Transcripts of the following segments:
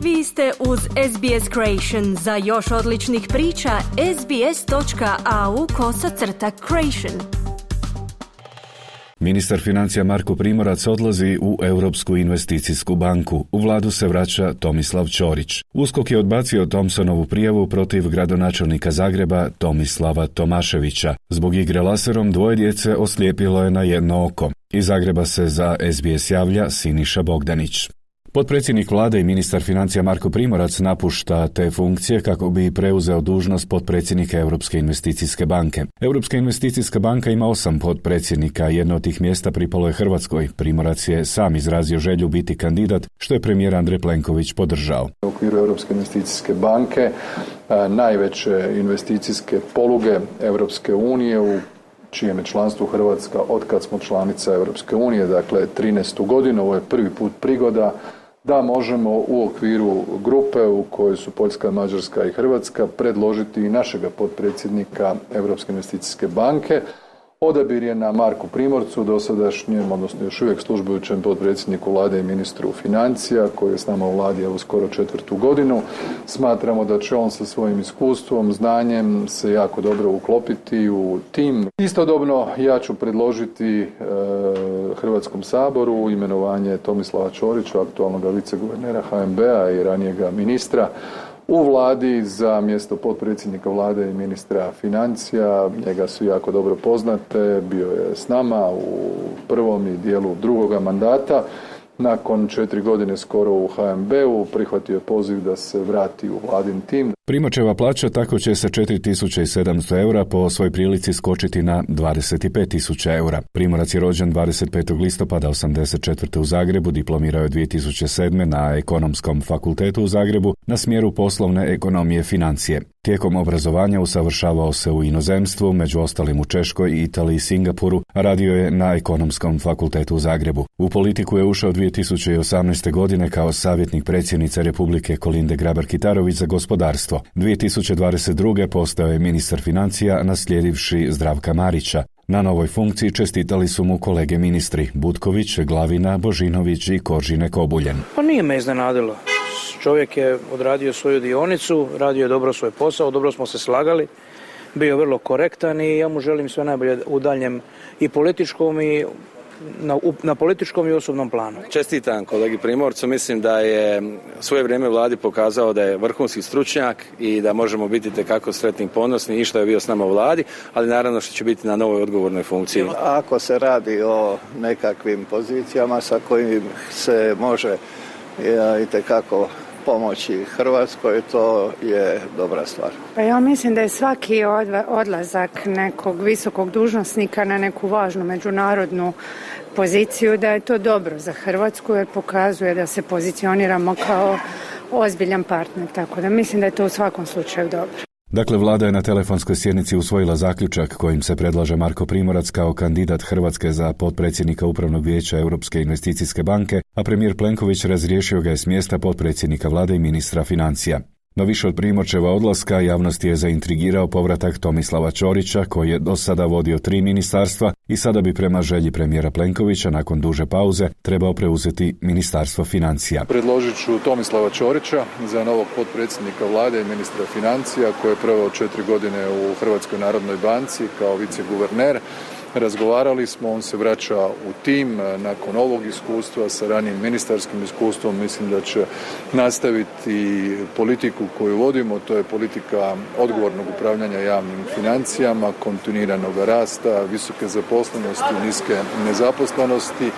Vi ste uz SBS Creation. Za još odličnih priča, sbs.au/creation. Ministar financija Marko Primorac odlazi u Europsku investicijsku banku. U vladu se vraća Tomislav Ćorić. USKOK je odbacio Thompsonovu prijavu protiv gradonačelnika Zagreba Tomislava Tomaševića. Zbog igre laserom dvoje djece oslijepilo je na jedno oko. Iz Zagreba se za SBS javlja Siniša Bogdanić. Potpredsjednik vlade i ministar financija Marko Primorac napušta te funkcije kako bi preuzeo dužnost potpredsjednika Europske investicijske banke. Europska investicijska banka ima 8 potpredsjednika, jedno od tih mjesta pripalo je Hrvatskoj. Primorac je sam izrazio želju biti kandidat, što je premijer Andrej Plenković podržao. U okviru Europske investicijske banke, najveće investicijske poluge Europske unije, u čijem je članstvu Hrvatska od kad smo članica Europske unije, dakle 13. godinu, ovo je prvi put prigoda da možemo u okviru grupe u kojoj su Poljska, Mađarska i Hrvatska predložiti i našega potpredsjednika Europske investicijske banke. Odabir je na Marku Primorcu, dosadašnjem, odnosno još uvijek službujućem potpredsjedniku vlade i ministru financija, koji je s nama u vladi evo skoro 4. godinu. Smatramo da će on sa svojim iskustvom, znanjem se jako dobro uklopiti u tim. Istodobno ja ću predložiti Hrvatskom saboru imenovanje Tomislava Ćorića, aktualnog viceguvernera HNB-a i ranijega ministra, u vladi za mjesto potpredsjednika vlade i ministra financija. Njega svi jako dobro poznate, bio je s nama u prvom i dijelu drugoga mandata. Nakon 4 godine skoro u HNB-u prihvatio je poziv da se vrati u vladin tim. Primoračeva plaća tako će sa 4.700 eura po svoj prilici skočiti na 25.000 eura. Primorac je rođen 25. listopada 1984. u Zagrebu, diplomirao je 2007. na Ekonomskom fakultetu u Zagrebu na smjeru poslovne ekonomije financije. Tijekom obrazovanja usavršavao se u inozemstvu, među ostalim u Češkoj, Italiji i Singapuru, a radio je na Ekonomskom fakultetu u Zagrebu. U politiku je ušao 2018. godine kao savjetnik predsjednice Republike Kolinde Grabar-Kitarović za gospodarstvo. 2022. postao je ministar financija naslijedivši Zdravka Marića. Na novoj funkciji čestitali su mu kolege ministri Butković, Glavina, Božinović i Koržine Kobuljen. Pa nije me iznenadilo. Čovjek je odradio svoju dionicu, radio je dobro svoj posao, dobro smo se slagali, bio vrlo korektan i ja mu želim sve najbolje u daljem i političkom i na političkom i osobnom planu. Čestitam kolegi Primorcu, mislim da je svoje vrijeme vladi pokazao da je vrhunski stručnjak i da možemo biti tekako sretni i ponosni i što je bio s nama u vladi, ali naravno što će biti na novoj odgovornoj funkciji. Ako se radi o nekakvim pozicijama sa kojim se može itekako pomoći Hrvatskoj, to je dobra stvar. Pa ja mislim da je svaki odlazak nekog visokog dužnosnika na neku važnu međunarodnu poziciju, da je to dobro za Hrvatsku jer pokazuje da se pozicioniramo kao ozbiljan partner, tako da mislim da je to u svakom slučaju dobro. Dakle, vlada je na telefonskoj sjednici usvojila zaključak kojim se predlaže Marko Primorac kao kandidat Hrvatske za potpredsjednika Upravnog vijeća Europske investicijske banke, a premijer Plenković razriješio ga je s mjesta potpredsjednika vlade i ministra financija. No više od Primorčeva odlaska javnost je zaintrigirao povratak Tomislava Ćorića, koji je do sada vodio 3 ministarstva i sada bi prema želji premijera Plenkovića nakon duže pauze trebao preuzeti ministarstvo financija. Predložit ću Tomislava Ćorića za novog potpredsjednika vlade i ministra financija, koji je proveo 4 godine u Hrvatskoj narodnoj banci kao viceguverner. Razgovarali smo, on se vraća u tim nakon ovog iskustva sa ranijim ministarskim iskustvom. Mislim da će nastaviti politiku koju vodimo, to je politika odgovornog upravljanja javnim financijama, kontinuiranog rasta, visoke zaposlenosti, niske nezaposlenosti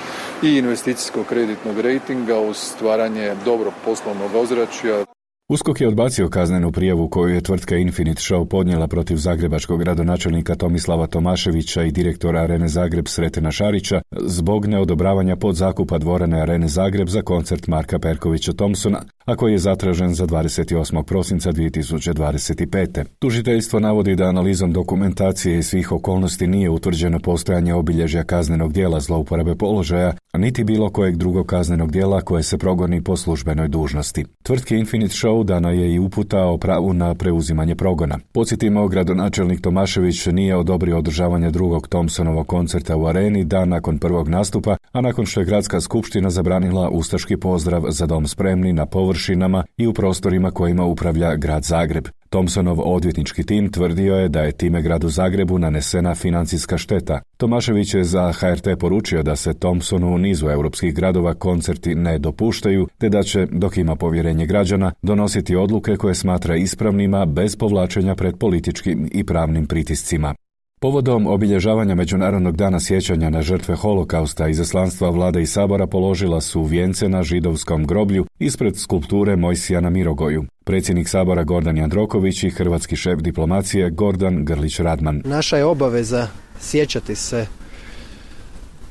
i investicijskog kreditnog rejtinga uz stvaranje dobrog poslovnog ozračja. USKOK je odbacio kaznenu prijavu koju je tvrtka Infinite Show podnijela protiv zagrebačkog gradonačelnika Tomislava Tomaševića i direktora Arene Zagreb Sretena Šarića zbog neodobravanja podzakupa dvorane Arene Zagreb za koncert Marka Perkovića Thompsona, a koji je zatražen za 28. prosinca 2025. Tužiteljstvo navodi da analizom dokumentacije i svih okolnosti nije utvrđeno postojanje obilježja kaznenog djela zlouporabe položaja, niti bilo kojeg drugog kaznenog djela koje se progoni po službenoj dužnosti. Tvrtki Infinite Show dana je i uputa o pravu na preuzimanje progona. Podsjetimo, gradonačelnik Tomašević nije odobrio održavanje drugog Thompsonovog koncerta u Areni dan nakon prvog nastupa, a nakon što je gradska skupština zabranila ustaški pozdrav Za dom spremni na površini površinama i u prostorima kojima upravlja grad Zagreb. Thompsonov odvjetnički tim tvrdio je da je time gradu Zagrebu nanesena financijska šteta. Tomašević je za HRT poručio da se Thompsonu u nizu europskih gradova koncerti ne dopuštaju, te da će, dok ima povjerenje građana, donositi odluke koje smatra ispravnima bez povlačenja pred političkim i pravnim pritiscima. Povodom obilježavanja Međunarodnog dana sjećanja na žrtve holokausta, izaslanstva Vlade i Sabora položila su vijence na židovskom groblju ispred skulpture Mojsija na Mirogoju. Predsjednik Sabora Gordan Jandroković i hrvatski šef diplomacije Gordan Grlić-Radman. Naša je obaveza sjećati se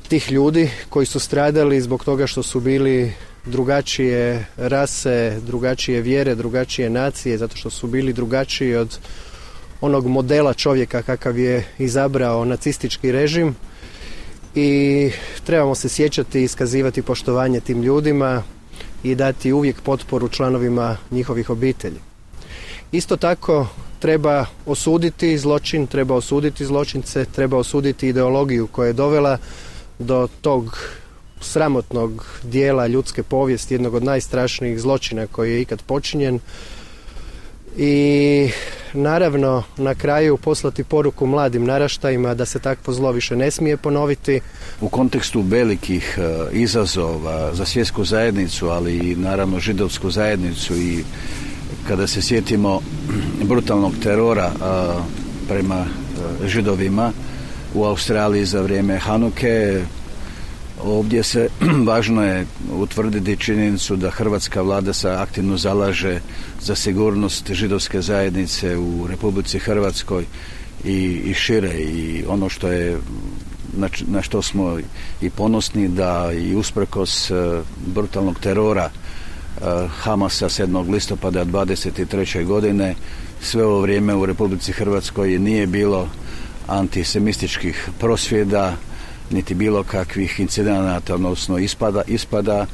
tih ljudi koji su stradali zbog toga što su bili drugačije rase, drugačije vjere, drugačije nacije, zato što su bili drugačiji od onog modela čovjeka kakav je izabrao nacistički režim, i trebamo se sjećati i iskazivati poštovanje tim ljudima i dati uvijek potporu članovima njihovih obitelji. Isto tako treba osuditi zločin, treba osuditi zločince, treba osuditi ideologiju koja je dovela do tog sramotnog dijela ljudske povijesti, jednog od najstrašnijih zločina koji je ikad počinjen. I naravno na kraju poslati poruku mladim naraštajima da se takvo zlo više ne smije ponoviti. U kontekstu velikih izazova za svjetsku zajednicu, ali i naravno židovsku zajednicu, i kada se sjetimo brutalnog terora prema židovima u Australiji za vrijeme Hanuke, ovdje se važno je utvrditi činjenicu da hrvatska vlada se aktivno zalaže za sigurnost židovske zajednice u Republici Hrvatskoj i šire, i ono što je na što smo i ponosni da i usprkos brutalnog terora Hamasa 7. listopada 23. godine sve ovo vrijeme u Republici Hrvatskoj nije bilo antisemističkih prosvjeda niti bilo kakvih incidenata, odnosno ispada.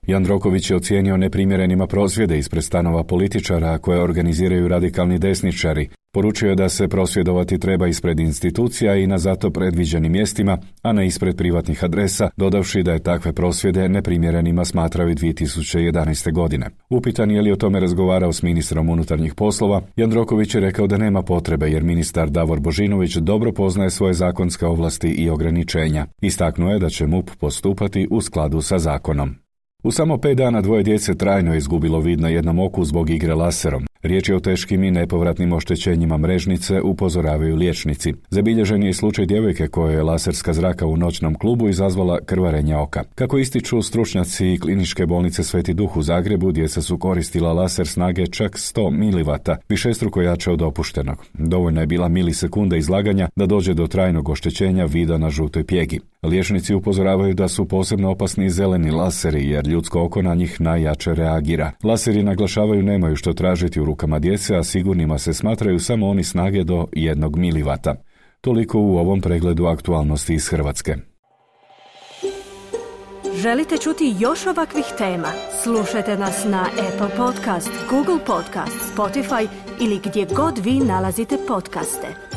Jandroković je ocijenio neprimjerenima prosvjede ispred stanova političara koje organiziraju radikalni desničari. Poručio je da se prosvjedovati treba ispred institucija i na zato predviđenim mjestima, a ne ispred privatnih adresa, dodavši da je takve prosvjede neprimjerenima smatrao i 2011. godine. Upitan je li o tome razgovarao s ministrom unutarnjih poslova, Jandroković je rekao da nema potrebe jer ministar Davor Božinović dobro poznaje svoje zakonske ovlasti i ograničenja. Istaknuo je da će MUP postupati u skladu sa zakonom. U samo 5 dana 2 djece trajno je izgubilo vid na jednom oku zbog igre laserom. Riječ je o teškim i nepovratnim oštećenjima mrežnice, upozoravaju liječnici. Zabilježen je i slučaj djevojke koje je laserska zraka u noćnom klubu izazvala krvarenje oka. Kako ističu stručnjaci Kliničke bolnice Sveti Duh u Zagrebu, djeca su koristila laser snage čak 100 mW, višestruko jače od dopuštenog. Dovoljna je bila milisekunda izlaganja da dođe do trajnog oštećenja vida na žutoj pjegi. Liječnici upozoravaju da su posebno opasni zeleni laseri jer ljudsko oko na njih najjače reagira. Laseri, naglašavaju, nemaju što tražiti u rukama djece, a sigurnima se smatraju samo oni snage do 1 mW. Toliko u ovom pregledu aktualnosti iz Hrvatske. Želite čuti još ovakvih tema? Slušajte nas na Apple Podcast, Google Podcast, Spotify ili gdje god vi nalazite podcaste.